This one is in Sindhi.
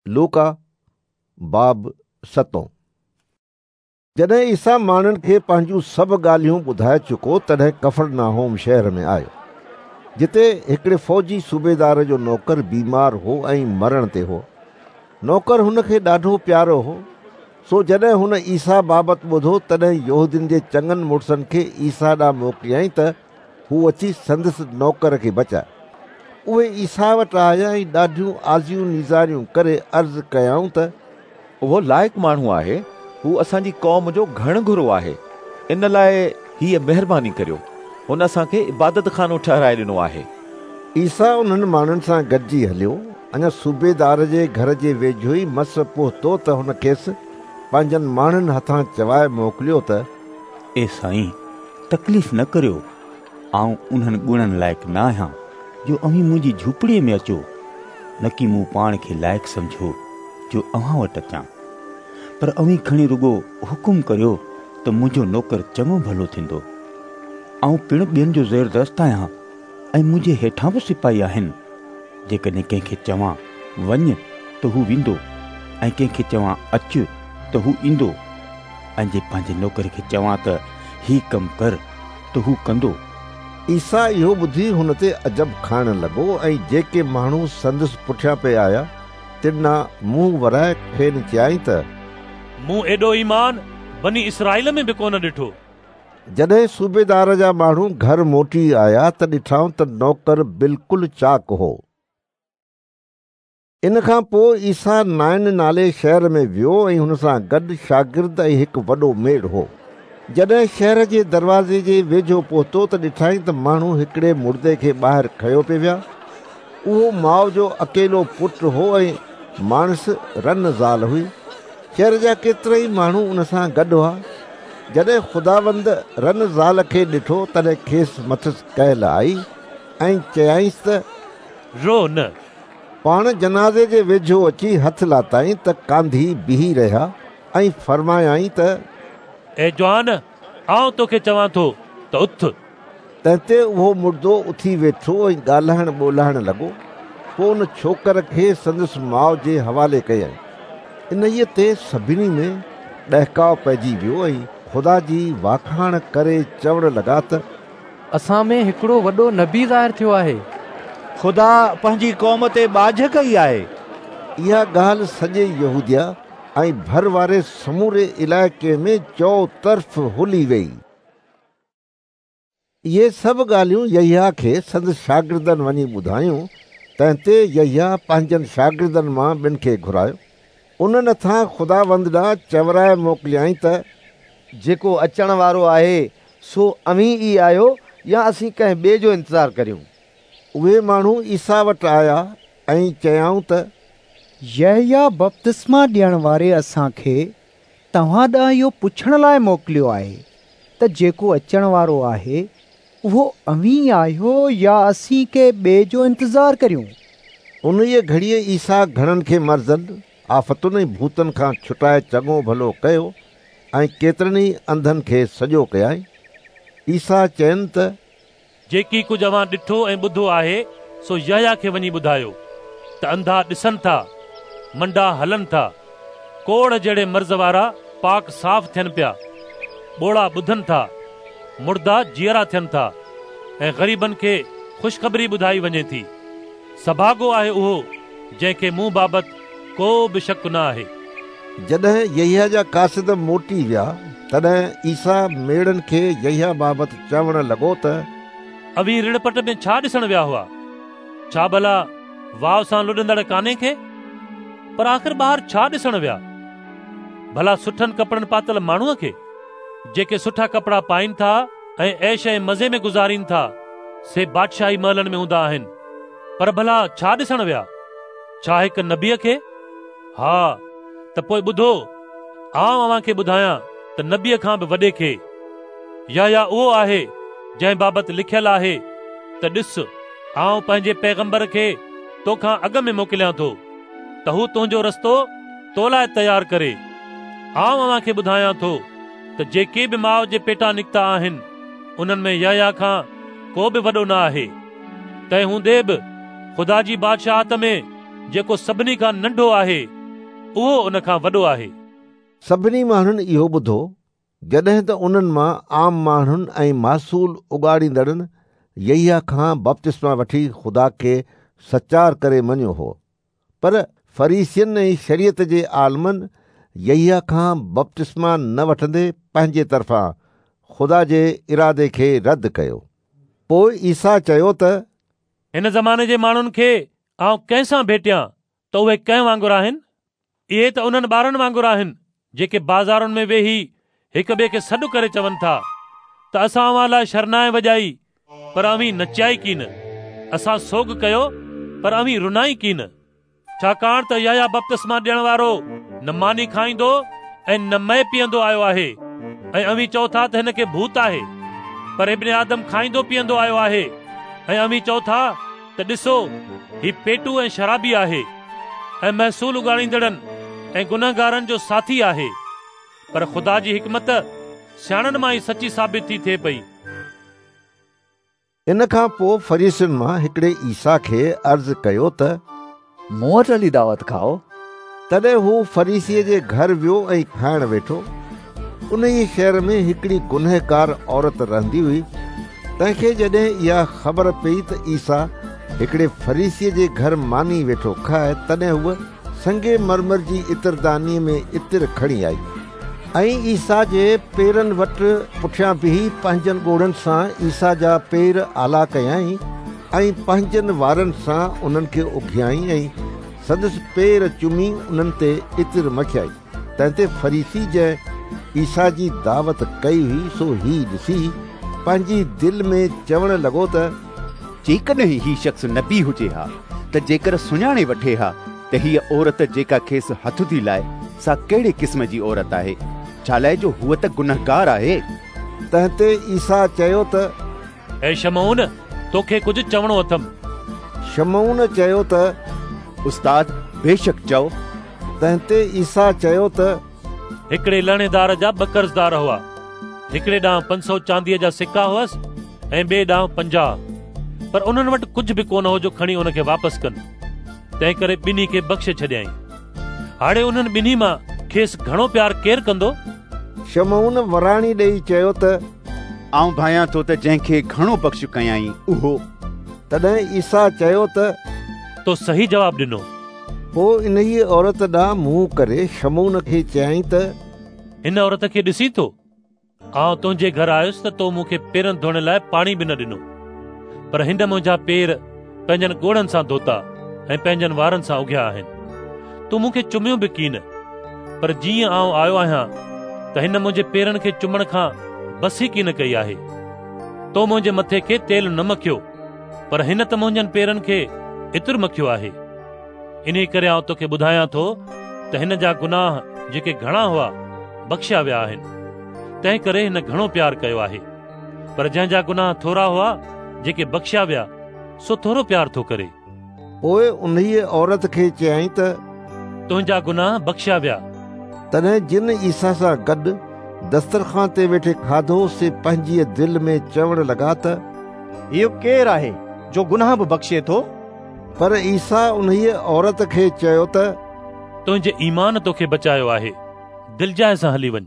لوڪا، باب ستون. جڏهن عيسيٰ ماڻهن کي پنهنجون سڀ ڳالهيون ٻڌائي چڪو، تڏهن ڪفرناحوم شهر ۾ آيو، جتي هڪڙي فوجي صوبيدار جو نوڪر بيمار هو ۽ مرڻ تي هو. نوڪر هن کي ڏاڍو پيارو هو، سو جڏهن هن عيسيٰ بابت ٻڌو، تڏهن يهودين جي چڱن مڙسن کي عيسيٰ ڏانهن موڪليائين ته هو اچي سندس نوڪر کي بچائي. اهي عيسيٰ وٽ آيا ۽ ڏاڍيون آزيون نيزاريون ڪري عرض ڪيائون ته اهو لائق ماڻهو آهي، هو اسان جي قوم جو گهڻ گهرو آهي، ان لاء هيء مهرباني ڪريو، هن اسان کي عبادتخانو ٺهرائي ڏنو آهي. عيسيٰ انهن ماڻهن سان گڏجي هليو. اڃا صوبيدار جي گهر جي ويجهو ئي مس پهتو ته هن کيس پنهنجن ماڻهن هٿان چوائي موڪليو ته. اي سائين، تڪليف نه ڪريو، آئون انهن گڻن لائق نه آهيان جو اوهين منهنجي جهوپڙيء ۾ اچو، نڪي مون پاڻ کي لائق سمجهيو جو اوهان وٽ اچان. پر اوهين کڻي رڳو حڪم ڪريو ته منهنجو نوڪر چڱو ڀلو ٿيندو. آئون پڻ ٻين جو زيردست آهيان ۽ منهنجي هيٺان به سپاهي آهن. جيڪڏهن ڪنهن کي چوان، وڃ، ته هو ويندو ۽ ڪنهن کي چوان، اچ، ته هو ايندو ۽ جي پنهنجي نوڪر کي چوان ته هي ڪم ڪر، ته هو ڪندو. عيسيٰ اهو ٻڌي هن تي عجب کائڻ لڳو ۽ جيڪي ماڻهو سندس پٺيان پئي آيا، تن ڏانهن منهن ورائي کين چيائين ته. مون ايڏو ايمان بني اسرائيل ۾ به ڪونه ڏٺو. جڏهن صوبيدار جا ماڻهو گهر موٽي آيا ته ڏٺائون ته نوڪر بلڪل چاڪ هو. ان کان پوء عيسيٰ نائن نالي شهر ۾ ويو ۽ هن سان گڏ شاگرد ۽ هڪ وڏو ميڙ هو. جڏهن شهر جي دروازي جي ويجهو پهتو ته ڏٺائين ته ماڻهو هڪڙي مڙدي کي ٻاهر کنيو پئي ويا. اهو ماء جو اڪيلو پٽ هو ۽ ماڻس رن زال هئي. شهر جا ڪيترائي ماڻهو ان سان گڏ هئا. جڏهن خداوند رن زال کي ڏٺو، تڏهن کيس مٿس ڪهل آئي ۽ چيائينس ته. رو نه. پاڻ جنازي جي ويجهو اچي هٿ لاتائين ته ڪانڌي بيهي رهيا ۽ فرمايائين ته. اي جوان، آئون توکي چوان ٿو ته اٿ. تنهن تي اهو مڙدو اٿي ويٺو ۽ ڳالهائڻ ٻولهائڻ لڳو. پوء ان ڇوڪر کي سندس ماء جي حوالي ڪيائين. انهيء تي سڀني ۾ ڏهڪاء پئجي ويو ۽ خدا جي واکاڻ ڪري چوڻ لڳا ته. اسان ۾ هڪڙو وڏو نبي ظاهر ٿيو آهي. خدا پنهنجي قوم تي ٻاجهه ڪئي آهي. اها ڳالهه سڄي يهوديه ۽ ڀر واري سموري علائقي ۾ چؤطرف هلي ويئي. اهي سڀ ڳالهيون يحيٰ کي سندس شاگردن وڃي ٻڌايون، تنهن تي يحيٰ پنهنجن شاگردن مان ٻن کي گهرايو. انهن هٿان خداوند ڏانهن چورائي موڪليائين ته. جيڪو اچڻ وارو آهي سو اوهين ئي آهيو يا اسين ڪنهن ٻئي جو انتظار ڪريون؟ اهي ماڻهو عيسيٰ وٽ آيا ۽ چيائون ته. يحيٰ بپتسما ڏيڻ واري اسان کي توهان ڏانهن اهو پڇڻ لاء موڪليو آهي ته جيڪو اچڻ وارو آهي، اهو اوهين ئي آهيو يا اسين ڪنهن ٻئي جو انتظار ڪريون؟ انهيء گهڙيء عيسيٰ گهڻن کي مرضن، آفتن ۽ ڀوتن کان ڇٽائي چڱو ڀلو ڪيو ۽ ڪيترن ئي انڌن کي سڄو ڪيائين. عيسيٰ چين ته. جيڪي ڪجهه اوهان ڏٺو ۽ ٻڌو آهي، سو يحيٰ کي وڃي ٻڌايو، ته انڌا ڏسن ٿا، منڊا هلن ٿا، ڪوڙهه جهڙي مرض وارا پاڪ صاف ٿين پيا، ٻوڙا ٻڌن ٿا، مڙدا جيئرا ٿين ٿا ۽ غريبن کي خوشخبري ٻڌائي وڃي ٿي. سڀاڳو آهي اهو جنهن کي مون بابت ڪو به شڪ نه آهي. جڏهن يحيٰ جا قاصد موٽي ويا، تڏهن عيسيٰ ميڙن کي يحيٰ بابت چوڻ لڳو ته. اوهين رڻ پٽ ۾ ڇا ڏسڻ ويا هئا؟ ڇا ڀلا واء سان لڏندڙ ڪاني کي؟ پر آخر ٻاهر ڇا ڏسڻ ويا؟ ڀلا سٺن ڪپڙن پاتل ماڻهوء کي؟ جيڪي سٺا ڪپڙا پائين ٿا ۽ عيش ۽ مزي ۾ گذارين ٿا، سي بادشاهي محلن ۾ هوندا آهن. پر ڀلا ڇا ڏسڻ ويا؟ ڇا هڪ نبيء کي؟ ها، ته پوء ٻڌو، آئون اوهان کي ٻڌايان ته نبيء کان به وڏي کي. يحيٰ اهو آهي، جنهن بابت لکيل آهي ته ڏس، آئون پنهنجي پيغمبر کي تو کان اڳ ۾ موڪليان ٿو، ته هو تنهنجو رستو تو لاء تيار ڪري. آئون اوهان کي ٻڌايان ٿو ته جيڪي به ماء جي پيٽان نڪتا آهن، انهن ۾ يحيٰ کان ڪو به وڏو نه آهي. تنهن هوندي به خدا جي بادشاهت ۾ جيڪو سڀني کان ننڍو آهي اهو ان کان وڏو آهي. سڀني ماڻهن اهو ٻڌو، جڏهن ته انهن مان عام ماڻهن ۽ محصول اڳاڙيندڙن يحيٰ کان بپتسما وٺي خدا کي سچار ڪري مڃيو هو. پر فريسين ۽ شريعت جي عالمن يحيٰ کان بپتسما نه وٺندي پنهنجي طرفان خدا جي ارادي کي رد ڪيو. پوء عيسيٰ چيو ته. هن زماني جي ماڻهن کي آئون ڪنهن سان ڀيٽيان ته اهي ڪنهن وانگر آهن؟ اهي ته انهن ٻارن وانگر آهن جيڪي بازارن ۾ ويهي هڪ ٻئي کي سڏ ڪري چون ٿا ته اسان اوهان لاء شرنائي وڄائي پر اوهين نچيا ئي ڪين، اسان سوڳ ڪيو پر اوهين رنا ئي ڪين. ڇاڪاڻ ته يحيٰ بپتسما ڏيڻ وارو نه ماني کائيندو ۽ نه مئي پيئندو آيو آهي ۽ اوهين چئو ٿا ته هن کي ڀوت آهي. پر ابن آدم کائيندو پيئندو آيو آهي ۽ اوهين چئو ٿا ته ڏسو هي پيٽو ۽ شرابي آهي ۽ محصول اڳاڙيندڙن ۽ گنهگارن جو ساٿي آهي. پر خدا جي حڪمت سياڻن مان ئي سچي ثابت ٿي ٿئي پئي. ان کان پوء فريسين مان هڪڙي عيسيٰ کي عرض ڪيو ته، مون وٽ هلي دعوت کائو. تڏهن هو فريسيء جي گهر ويو ۽ کائڻ ويٺو. انهيء شهر ۾ هڪڙي گنهگار عورت رهندي هئي، تنهن کي جڏهن اها خبر پيئي ته عيسيٰ هڪڙي فريسيء جي گهر ماني ويٺو کائي، تڏهن هوء سنگ مرمر جي عطردانيء ۾ عطر کڻي آئي ۽ عيسيٰ جي پيرن وٽ پٺيان بيهي پنهنجن ڳوڙهن سان عيسيٰ جا پير آلا ڪيائين ۽ پنهنجن وارن سان انهن کي اگهيائين ۽ سندس پير چمي انهن تي عطر مکيائين. تنهن تي فريسي جنهن عيسيٰ جي دعوت ڪئي هئي سو هي ڏسي پنهنجي دل ۾ چوڻ لڳو ته جيڪڏهن هي شخص نبي هجي ها ته جيڪر سڃاڻي وٺي ها ته هيء عورت جيڪا کيس هٿ ٿي لائي سا ڪهڙي قسم جي عورت آهي، ڇالاء جو هوء ته گنهگار آهي. تنهن تي عيسيٰ چيو ته اي شمعون، توکي ڪجهه چوڻو اٿم. شمعون چيو ته استاد، بيشڪ چئو. تنهن تي عيسيٰ چيو ته هڪڙي لهڻيدار جا ٻه قرضدار هئا. هڪڙي ڏانهن 500 چانديء جا سڪا هئس ۽ ٻئي ڏانهن 50. پر انهن وٽ ڪجهه به ڪونه هو جو کڻي ان کي واپس ڪن. تنهنڪري ٻنهي کي بخشي ڇڏيائين. هاڻي انهن ٻنهي مان کيس گهڻو پيار ڪير ڪندو؟ شمعون وراڻي ڏيئي چيو ته آئون ڀانيان ٿو ته جنهن کي گهڻو بخش ڪيائين اهو. تڏهن عيسيٰ چيو ته تو صحيح جواب ڏنو. پوء انهيء عورت ڏانهن منهن ڪري شمعون کي چيائين ته هن عورت کي ڏسين ٿو؟ آئون تنهنجي گهر آيس ته تو مون کي پيرن ڌوئڻ لاء پاڻي به نه ڏنو، پر هن منهنجا پير پنهنجن ڳوڙهن سان ڌوتا ۽ پنهنجن وارن سان اگهيا آهن. تو مون کي چميو به ڪين، پر جيئن آئون آيو آهيان ته هن منهنجي پيرن کي چمڻ کان بس ئي ڪين ڪئي آهي. تو منهنجي مٿي کي تيل نه مکيو، پر هن ته منهنجن پيرن کي عطر مکيو آهي. انهيء ڪري آئون توکي ٻڌايان ٿو ته هن جا گناهه جيڪي گهڻا هئا بخشيا ويا آهن، تنهن ڪري هن گهڻو پيار ڪيو آهي. پر جنهن جا گناهه ٿورا هئا، جيڪي بخشيا ويا، سو ٿورو پيار ٿو ڪري. پوء انهيء عورت کي چيائين ته تنهنجا گناهه بخشيا ويا. تڏهن جن عيسيٰ سان گڏ دسترخوان تي ويٺي کاڌو، سي پنهنجيء دل ۾ چوڻ لڳا ته اهو ڪير آهي جو گناهه به بخشي ٿو؟ پر عيسيٰ انهيء عورت کي چيو ته تنهنجي ايمان توکي بچايو آهي، دلجاء سان هلي وڃ.